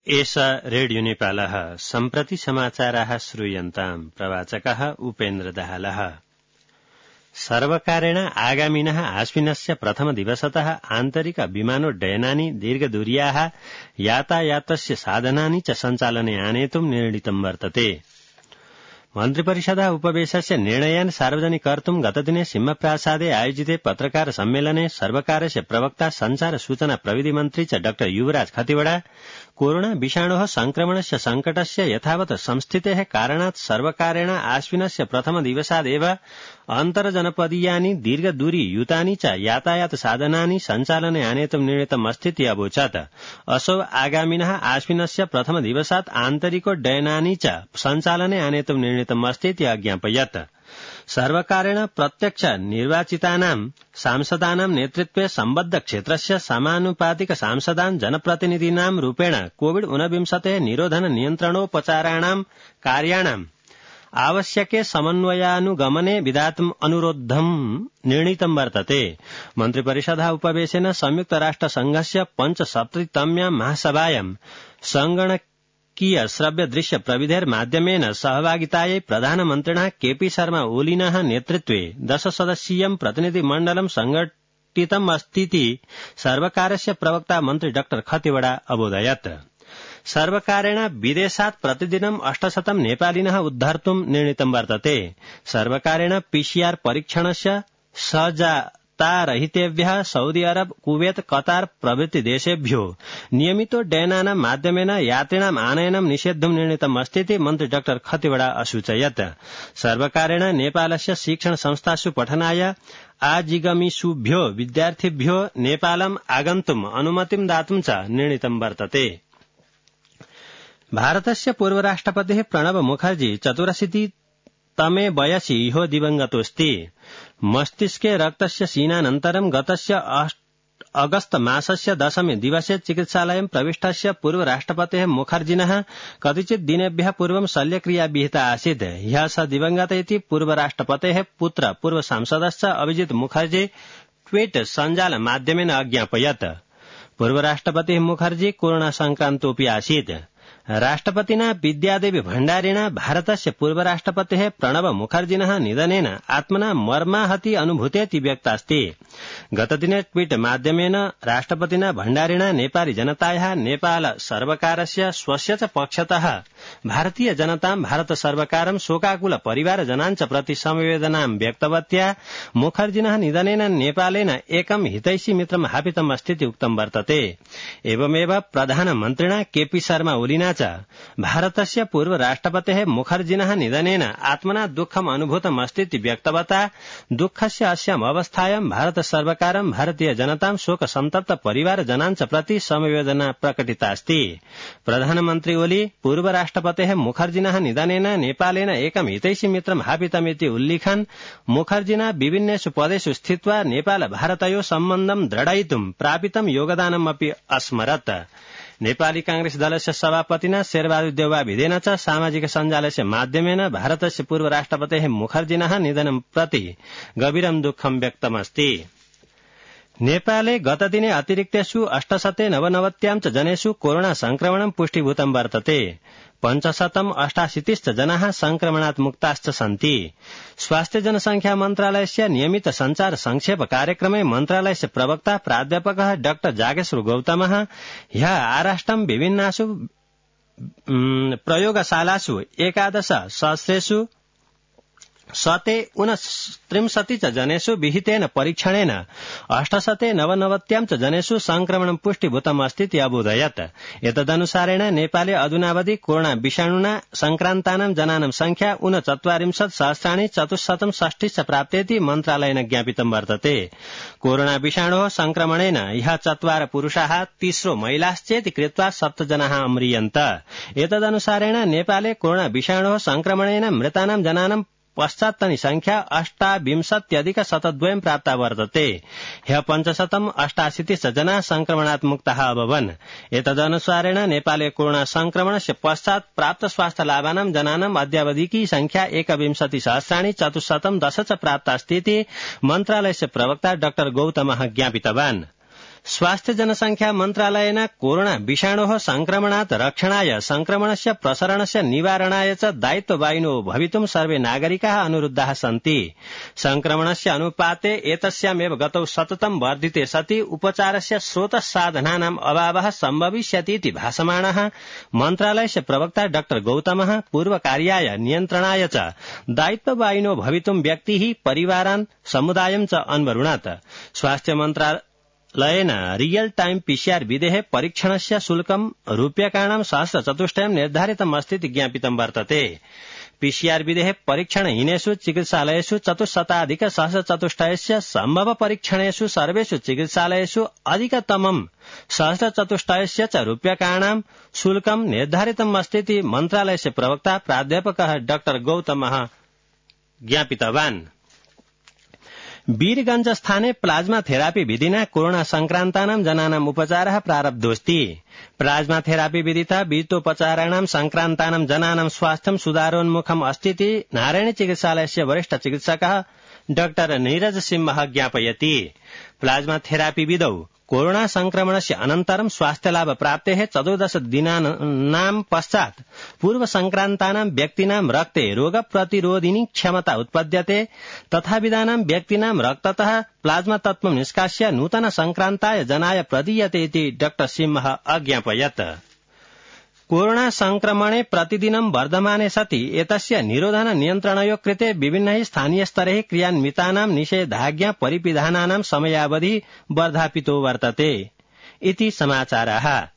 एषा रेडियो नेपालः सम्प्रति समाचाराः श्रूयन्ताम्। प्रवाचकः उपेन्द्र दाहालः। सर्वकारेण आगामिनः आश्विनस्य प्रथमदिवसतः आन्तरिक विमानोड्डयनानि दीर्घदूर्याः यातायातस्य साधनानि च सञ्चालने आनेतुं निर्णीतं वर्तते। मन्त्रिपरिषदः उपवेशस्य निर्णयान् सार्वजनिकर्तुं गतदिने सिंहप्रासादे आयोजिते पत्रकार सम्मेलने सर्वकारस्य प्रवक्ता संचार सूचना प्रविधि मन्त्री च डॉ युवराज खतिवड़ा कोरोना विषाणोः संक्रमणस्य संकटस्य यथावत् संस्थितेः कारणात् सर्वकारेण आश्विनस्य प्रथमदिवसादेव अन्तर्जनपदीयानि दीर्घदूरीयुतानि च यातायात साधनानि सञ्चालने आनेतुं निर्णीतमस्तीति अवोचत्। असौ आगामिनः आश्विनस्य प्रथमदिवसात् आन्तरिकोड्डयनानि च सञ्चालने आनेतुं निर्णीतमस्तीति अज्ञापयत्। सर्वकारेण प्रत्यक्ष निर्वाचितानां सांसदानां नेतृत्वे सम्बद्ध क्षेत्रस्य समानुपातिक सांसदान् जनप्रतिनिधीनां रूपेण कोविड-19 निरोधन नियन्त्रणोपचाराणां कार्याणां आवश्यके समन्वयानुगमने विधातुम् अनुरोधं निर्णीतं वर्तते। मन्त्रिपरिषदः उपवेशेन संयुक्त राष्ट्र संघस्य 75तम्यां महासभायां संगणकीय श्रव्य दृश्य प्रविधेर्माध्यमेन सहभागितायै प्रधानमन्त्रिणः केपी शर्मा ओलीनः नेतृत्वे 10 सदस्यीयं प्रतिनिधिमण्डलं संघटितम् अस्तीति सर्वकारस्य प्रवक्ता मन्त्री डॉ खतिवड़ा अबोधयत्। सर्वकारेण विदेशात् प्रतिदिनं 800 नेपालिनः उद्धर्तुं निर्णीतं वर्तते। सर्वकारेण पीसीआर परीक्षणस्य सहजतारहितेभ्यः सऊदी अरब, कुवैत, कतार प्रभृति देशेभ्यो नियमितोड्डयनानां माध्यमेन यात्रिणाम् आनयनं निषेद्धुं निर्णीतम् अस्तीति मन्त्री डॉ खतिवड़ा असूचयत्। सर्वकारेण नेपालस्य शिक्षण संस्थासु पठनाय आजिगमिषुभ्यो विद्यार्थिभ्यो नेपालम् आगन्तुम् अनुमतिं दातुं च निर्णीतं वर्तते। भारतस्य पूर्वराष्ट्रपतिः प्रणब मुखर्जी 84तमे वयसि ह्यो दिवंगतोऽस्ति। मस्तिष्के रक्तस्य क्षीणानन्तरं गतस्य अगस्त मासस्य 10 दिवसे चिकित्सालयं प्रविष्टस्य पूर्वराष्ट्रपतेः मुखर्जिनः कतिचित् दिनेभ्यः पूर्वं शल्यक्रिया विहिता आसीत्। ह्यः स दिवंगत इति पूर्वराष्ट्रपतेः पुत्र पूर्वसांसदश्च अभिजित मुखर्जी ट्वीट सञ्जाल माध्यमेन अज्ञापयत्। पूर्वराष्ट्रपतिः मुखर्जी कोरोना संक्रान्तोऽपि आसीत्। राष्ट्रपतिना विद्यादेवी भण्डारिणा भारतस्य पूर्वराष्ट्रपतेः प्रणब मुखर्जिनः निधनेन आत्मना मर्माहति अनुभूतेति व्यक्तास्ति। गतदिने ट्वीट माध्यमेन राष्ट्रपतिना भण्डारिणा नेपाली जनतायाः नेपाल सर्वकारस्य स्वस्य च पक्षतः भारतीय जनतां भारत सर्वकारं शोकाकुल परिवारजनान् च प्रति समवेदनां व्यक्तवत्या मुखर्जिनः निधनेन नेपालेन एकं हितैषी मित्रं हापितम् अस्तीति उक्तं वर्तते। एवमेव प्रधानमन्त्रिणा केपी शर्मा ओलिना च भारतस्य पूर्वराष्ट्रपतेः मुखर्जिनः निधनेन आत्मना दुःखम् अनुभूतम् अस्तीति व्यक्तवता दुःखस्य अस्याम् अवस्थायां भारत सर्वकारं भारतीय जनतां शोक संतप्त परिवारजनान् च प्रति समवेदना प्रकटितास्ति। प्रधानमन्त्री ओली पूर्वराष्ट्रपतेः मुखर्जिनः निधनेन नेपालेन एकं हितैषी मित्रं हापितमिति उल्लिखन् मुखर्जिना विभिन्नेषु पदेषु स्थित्वा नेपाल भारतयोः सम्बन्धं दृढयितुं प्रापितं योगदानमपि अस्मरत्। नेपाली कांग्रेस दलस्य सभापतिना शेरबहादुर देउवाभिधेन च सामाजिक सञ्जालस्य माध्यमेन भारतस्य पूर्वराष्ट्रपतेः मुखर्जिनः निधनं प्रति गभीरं दुःखं व्यक्तमस्ति। नेपाले गतदिने अतिरिक्तेषु 899 च जनेषु कोरोना संक्रमणं पुष्टिभूतं वर्तते। 588 जनाः संक्रमणात् मुक्ताश्च सन्ति। स्वास्थ्य जनसंख्या मन्त्रालयस्य नियमित संचार संक्षेप कार्यक्रमे मन्त्रालयस्य प्रवक्ता प्राध्यापकः डॉ जागेश्वर गौतमः ह्यः आराष्ट्रं विभिन्नासु प्रयोगशालासु 11 सहस्रेषु 139 च जनेषु विहितेन परीक्षणेन 899 च जनेषु संक्रमणं पुष्टिभूतम् अस्तीति अबोधयत्। एतदनुसारेण नेपाले अधुनावधि कोरोना विषाणुना संक्रान्तानां जनानां संख्या 39,460 च प्राप्तेति मन्त्रालयेन ज्ञापितं वर्तते। कोरोना विषाणोः संक्रमणेन ह्यः 4 पुरुषाः 30 महिलाश्चेति कृत्वा 7 जनाः अम्रियन्त। एतदनुसारेण नेपाले कोरोना विषाणोः संक्रमणेन मृतानां जनानां पश्चात्तनी संख्या 28,102 प्राप्ता वर्तते। ह्यः 588 जनाः संक्रमणात् मुक्ताः अभवन्। एतदनुसारेण नेपाले कोरोना संक्रमणस्य पश्चात् प्राप्त स्वास्थ्य लाभानां जनानाम् अद्यावधिकी संख्या 21,410 च प्राप्तास्तीति मन्त्रालयस्य प्रवक्ता डॉ गौतमः ज्ञापितवान्। स्वास्थ्य जनसंख्या मन्त्रालयेन कोरोना विषाणोः संक्रमणात् रक्षणाय संक्रमणस्य प्रसरणस्य निवारणाय च दायित्ववाहिनो भवितुं सर्वे नागरिकाः अनुरुद्धाः सन्ति। संक्रमणस्य अनुपाते एतस्यामेव गतौ सततं वर्धिते सति उपचारस्य स्रोतसाधनानाम् अभावः सम्भविष्यतीति भासमाणः मन्त्रालयस्य प्रवक्ता डॉ गौतमः पूर्वकार्याय नियन्त्रणाय च दायित्ववाहिनो भवितुं व्यक्तिः परिवारान् समुदायं च अन्वरुणात्। स्वास्थ्य मन्त्रालयेन रियल टाइम पीसीआर विधेः परीक्षणस्य शुल्कं रूप्यकाणां 1,000 निर्धारितमस्तीति ज्ञापितं वर्तते। पीसीआर विधेः परीक्षणहीनेषु चिकित्सालयेषु 4,100 सम्भव परीक्षणेषु सर्वेषु चिकित्सालयेषु अधिकतमं 1,000 च रूप्यकाणां शुल्कं निर्धारितमस्तीति मन्त्रालयस्य प्रवक्ता प्राध्यापकः डॉ गौतमः ज्ञापितवान्। वीरगंज स्थाने प्लाज्मा थेरापी विधिना कोरोना संक्रान्तानां जनानाम् उपचारः प्रारब्धोऽस्ति। प्लाज्मा थेरापी विधिता वीतोपचाराणां संक्रान्तानां जनानां स्वास्थ्यं सुधारोन्मुखम् अस्तीति नारायणी चिकित्सालयस्य वरिष्ठ चिकित्सकः डॉ नीरज सिंहः ज्ञापयति। प्लाज्मा थेरापी विधौ कोरोना संक्रमणस्य अनन्तरं स्वास्थ्यलाभ प्राप्तेः 14 दिनानां पश्चात् पूर्व संक्रान्तानां व्यक्तीनां रक्ते रोगप्रतिरोधिनी क्षमता उत्पद्यते तथाविधानां व्यक्तीनां रक्ततः प्लाज्मा तत्त्वं निष्कास्य नूतन संक्रान्ताय जनाय प्रदीयते इति डॉ सिंहः अज्ञापयत्। कोरोना संक्रमणे प्रतिदिनं वर्धमाने सति एतस्य निरोधन नियन्त्रणयोः कृते विभिन्नैः स्थानीयस्तरैः क्रियान्वितानां निषेधाज्ञा परिविधानानां समयावधिः वर्धापितो वर्तते इति समाचारः।